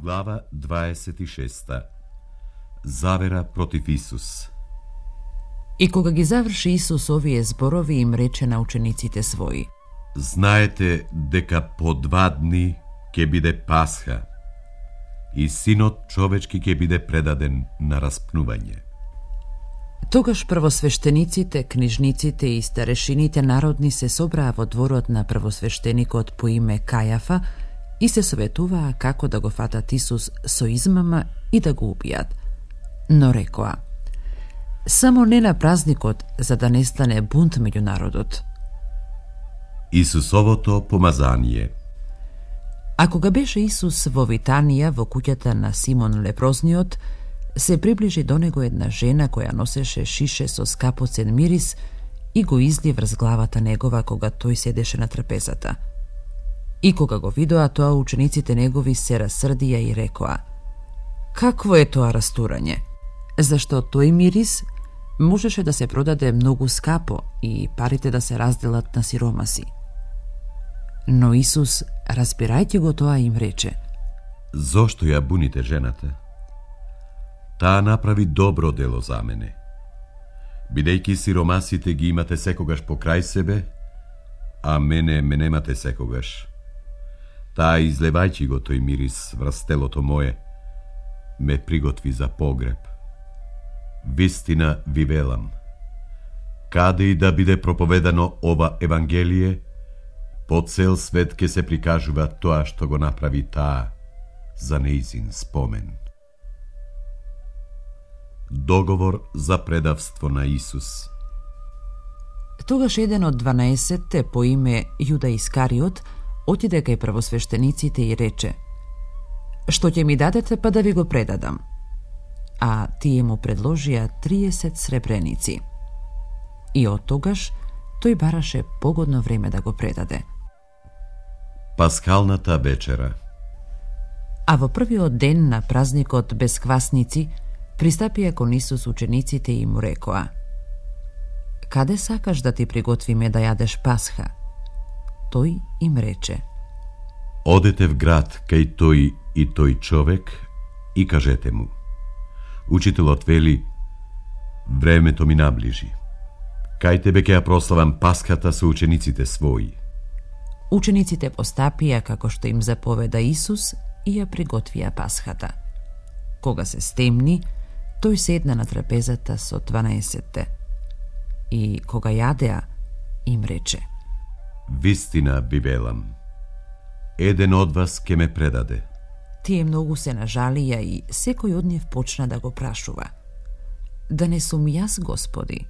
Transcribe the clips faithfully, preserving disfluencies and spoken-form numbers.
Глава дваесет и шеста. Завера против Исус. И кога ги заврши Исус овие зборови, им рече на учениците своји: Знаете дека по два дни ќе биде Пасха и Синот човечки ќе биде предаден на распнување. Тогаш првосвештениците, книжниците и старешините народни се собраа во дворот на првосвештеникот по име Кајафа и се советуваа како да го фатат Исус со измама и да го убијат. Но рекоа: само не на празникот, за да не стане бунт меѓу народот. Исусовото помазание. А кога беше Исус во Витанија, во куќата на Симон Лепрозниот, се приближи до него една жена која носеше шише со скапоцен мирис и го изли врз главата негова кога тој седеше на трапезата. И кога го видоа тоа, учениците негови се расрдија и рекоа: какво е тоа растурање? Зашто тој мирис можеше да се продаде многу скапо и парите да се разделат на сиромаси. Но Исус, разбирајќи го тоа, им рече: Зошто ја буните жената? Таа направи добро дело за мене. Бидејќи сиромасите ги имате секогаш покрај себе, а мене ме немате секогаш. Таа, излевајќи го тој мирис врз телото мое, ме приготви за погреб. Вистина ви велам, каде и да биде проповедано ова Евангелие, по цел свет ке се прикажува тоа што го направи таа за нејзин спомен. Договор за предавство на Исус. Тогаш еден од дванаесетте по име Јуда Искариот отиде кај првосвештениците и рече: што ќе ми дадете па да ви го предадам? А тие му предложија триесет сребреници. И од тогаш тој бараше погодно време да го предаде. Пасхалната вечера. А во првиот ден на празникот без квасници пристапија кон Исус учениците и му рекоа: каде сакаш да ти приготвиме да јадеш Пасха? Тој им рече: Одете в град кај тој и тој човек и кажете му: Учителот вели, времето ми наближи. Кај тебе ќе ја прославам Пасхата со учениците своји. Учениците постапија како што им заповеда Исус и ја приготвија Пасхата. Кога се стемни, тој седна на трапезата со дванаесетте. И кога јадеа, им рече: Вистина ви велам, еден од вас ке ме предаде. Тие многу се нажалија и секој од нив почна да го прашува: да не сум јас, Господи?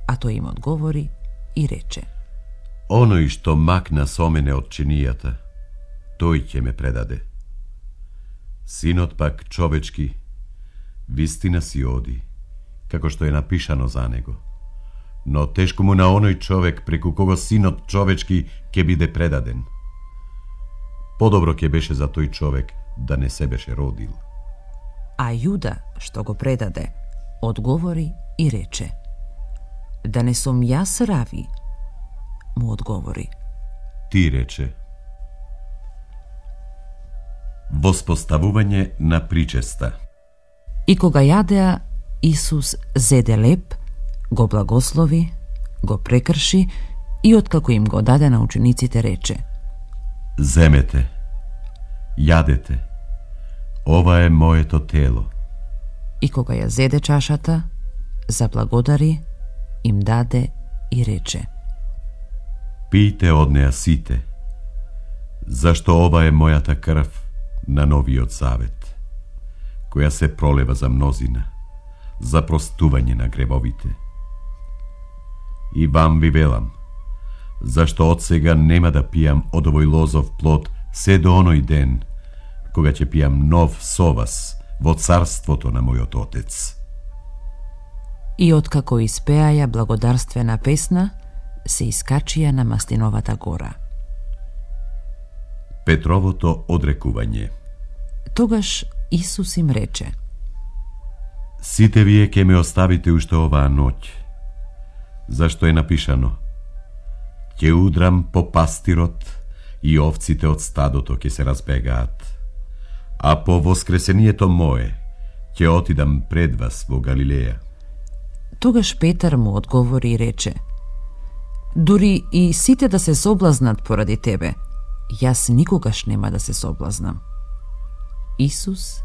А тој им одговори и рече: Оној што макна со мене од чинијата, тој ќе ме предаде. Синот пак човечки, вистина си оди, како што е напишано за него. Но тешко му на оној човек преку кого синот човечки ќе биде предаден. Подобро ќе беше за тој човек да не се беше родил. А Јуда, што го предаде, одговори и рече: да не сум јас, Рави? Му одговори: Ти рече. Воспоставување на причеста. И кога јадеа, Исус зеде леп, го благослови, го прекрши и откако им го даде на учениците рече: Земете, јадете, ова е моето тело. И кога ја зеде чашата, заблагодари, им даде и рече: Пијте од неа сите, зашто ова е мојата крв на новиот завет, која се пролева за мнозина, за простување на гревовите. И вам ви велам, зашто од сега нема да пијам од овој лозов плод се до оној ден, кога ќе пијам нов со вас во царството на мојот Отец. И откако испеаја благодарствена песна, се искачија на Маслиновата гора. Петровото одрекување. Тогаш Исус им рече: Сите вие ќе ме оставите уште оваа ноќ, зашто е напишано: ќе удрам по пастирот и овците од стадото ќе се разбегаат, А по воскресението мое ќе отидам пред вас во Галилеја. Тогаш Петар му одговори и рече: дури и сите да се соблазнат поради тебе, јас никогаш нема да се соблазнам. Исус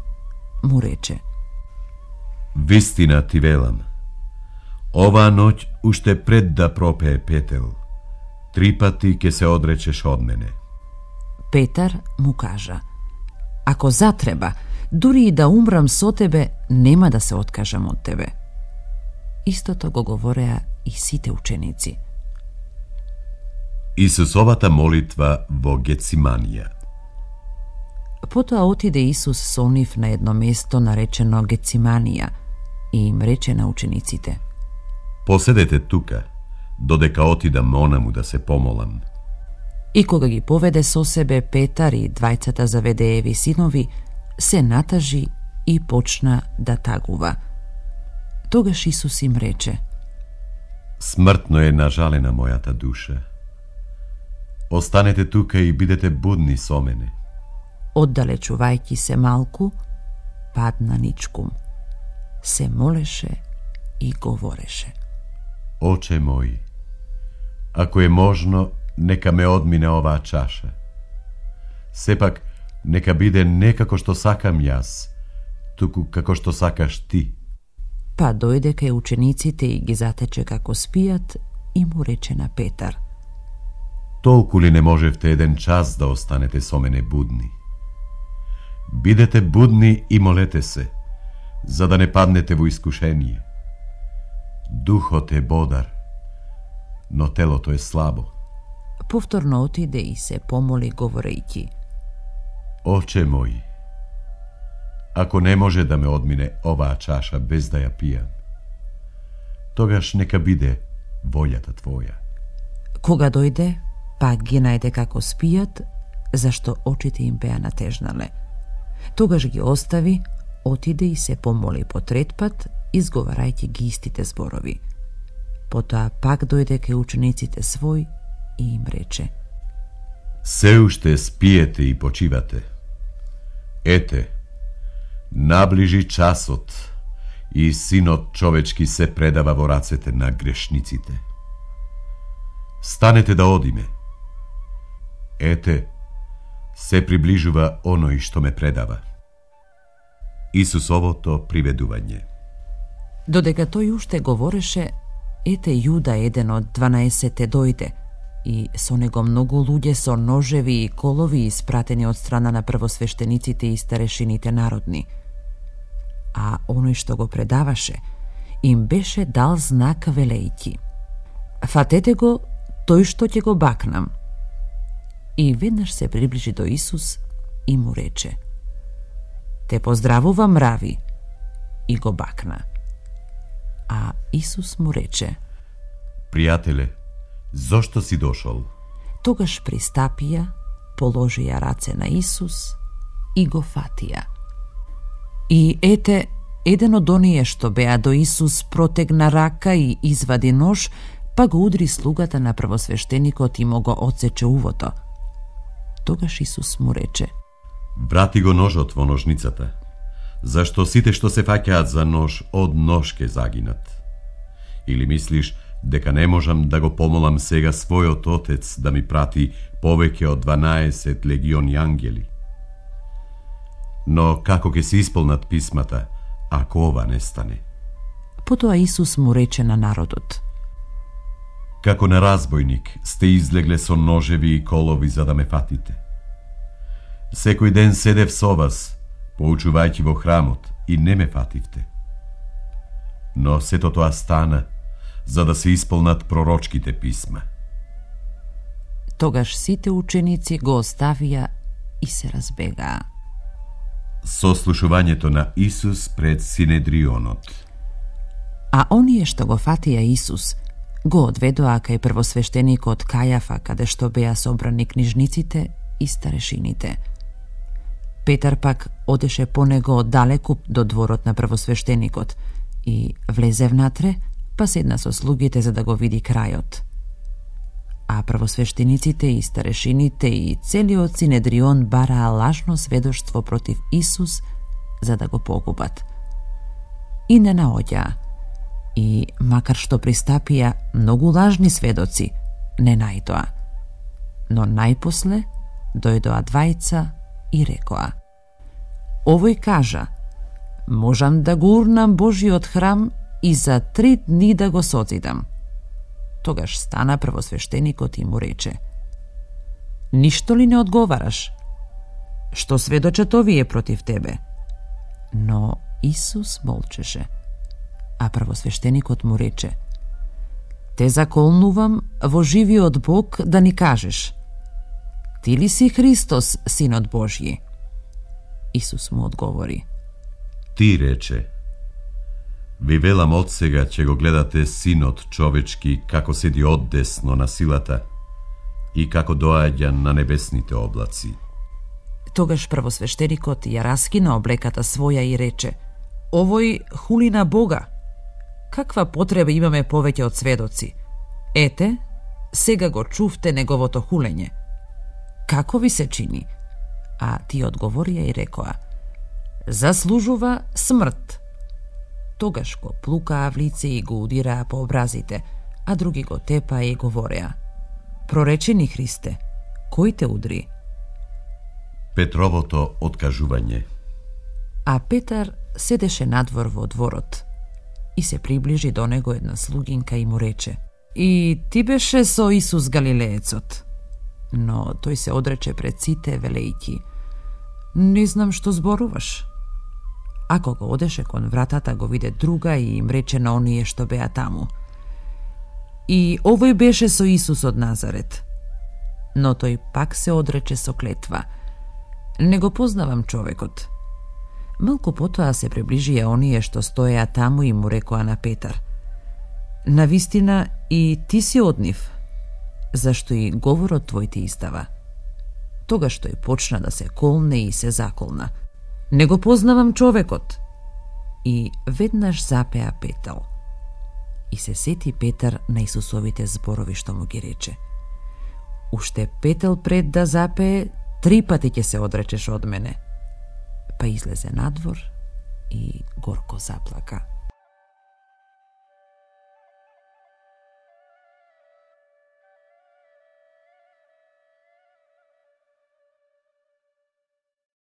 му рече: вистина ти велам, оваа ноќ уште пред да пропее петел, три пати ќе се одречеш од мене. Петар му кажа: ако затреба, дури и да умрам со тебе, нема да се откажам од тебе. Истото го говореа и сите ученици. Исусовата молитва во Гециманија. Потоа отиде Исус со нив на едно место наречено Гециманија и им рече на учениците: поседете тука, додека отидам онаму да се помолам. И кога ги поведе со себе Петар и двајцата Заведееви синови, се натажи и почна да тагува. Тогаш Исус им рече: смртно е нажалена мојата душа. Останете тука и бидете будни со мене. Оддалечувајќи се малку, падна ничкум. Се молеше и говореше: Оче мој, ако е можно, нека ме одмине оваа чаша. Сепак, нека биде не како што сакам јас, туку како што сакаш ти. Па дојде кај учениците и ги затече како спијат и му рече на Петар: толку ли не можевте еден час да останете со мене будни? Бидете будни и молете се, за да не паднете во искушение. Духот е бодар, но телото е слабо. Повторно отиде и се помоли говорејќи: Оче мој, ако не може да ме одмине оваа чаша без да ја пијам, тогаш нека биде волјата Твоја. Кога дојде, пак ги најде како спијат, зашто очите им беа натежнале. Тогаш ги остави, отиде и се помоли по трет пат, изговарајќи ги истите зборови. Потоа пак дојде кај учениците свој и им рече: се уште спиете и почивате. Ете, наближи часот и Синот човечки се предава во рацете на грешниците. Станете да одиме. Ете, се приближува оној што ме предава. Исусовото приведување. Додека тој уште говореше, ете Јуда, еден од дванаесетте, дојде и со него многу луѓе со ножеви и колови испратени од страна на првосвештениците и старешините народни. А оној што го предаваше им беше дал знак велејќи: фатете го, тој што ќе го бакнам. И веднаш се приближи до Исус и му рече: те поздравувам, рави, и го бакна. А Исус му рече: пријателе, зошто си дошол? Тогаш пристапија, положија раце на Исус и го фатија. И ете, еден од оние што беа до Исус протегна рака и извади нож, па го удри слугата на првосвештеникот и му го одсече увото. Тогаш Исус му рече: врати го ножот во ножницата, зашто сите што се фаќаат за нож од нож ке загинат. Или мислиш дека не можам да го помолам сега својот Отец да ми прати повеќе од дванаесет легиони ангели? Но како ќе се исполнат писмата, ако ова не стане? Потоа Исус му рече на народот: како на разбойник сте излегле со ножеви и колови за да ме фатите. Секој ден седев со вас, поучувајќи во храмот, и не ме фативте. Но сето тоа стана за да се исполнат пророчките писма. Тогаш сите ученици го оставија и се разбегаа. Сослушувањето на Исус пред Синедрионот. А оние што го фатија Исус го одведоа кај првосвештеникот Кајафа, каде што беа собрани книжниците и старешините. Петар пак одеше по него оддалеку до дворот на првосвештеникот и влезе внатре, па седна со слугите за да го види крајот. а правосвештениците и старешините и целиот Синедрион бараа лажно сведоштво против Исус за да го погубат. И не наоѓаа. И макар што пристапија многу лажни сведоци, не најдоа. Но најпосле дојдоа двајца и рекоа: овој кажа: можам да го урнам Божиот храм и за три дни да го созидам. Тогаш стана првосвештеникот и му рече: ништо ли не одговараш? Што сведочат овие против тебе? Но Исус молчеше. А првосвештеникот му рече: те заколнувам во живиот Бог да ни кажеш: ти ли си Христос, Синот Божји? Исус му одговори: ти рече. Ви велам од сега ќе го гледате Синот човечки како седи оддесно на силата и како доаѓа на небесните облаци. Тогаш првосвештеникот ја раскина облеката своја и рече: овој хули на Бога. Каква потреба имаме повеќе од сведоци? Ете, сега го чувте неговото хулење. Како ви се чини? А ти одговорија и рекоа: заслужува смрт. Тогаш го плукаа в лице и го удираа по образите, а други го тепаа и говореа: проречи ни, Христе, кој те удри? Петровото откажување. А Петар седеше надвор во дворот и се приближи до него една слугинка и му рече: и ти беше со Исус Галилеецот. Но тој се одрече пред сите велејќи: не знам што зборуваш. А кога одеше кон вратата, го виде друга и им рече на оние што беа таму: и овој беше со Исус од Назарет. Но тој пак се одрече со клетва: не го познавам човекот. Малку потоа се приближија оние што стоеа таму и му рекоа на Петар: навистина и ти си од нив, зашто и говорот твој ти издава. Тогаш тој почна да се колне и се заколна: не го познавам човекот. И веднаш запеа петел. И се сети Петар на Исусовите зборови што му ги рече: уште петел пред да запее, три пати ќе се одречеш од мене. Па излезе надвор и горко заплака.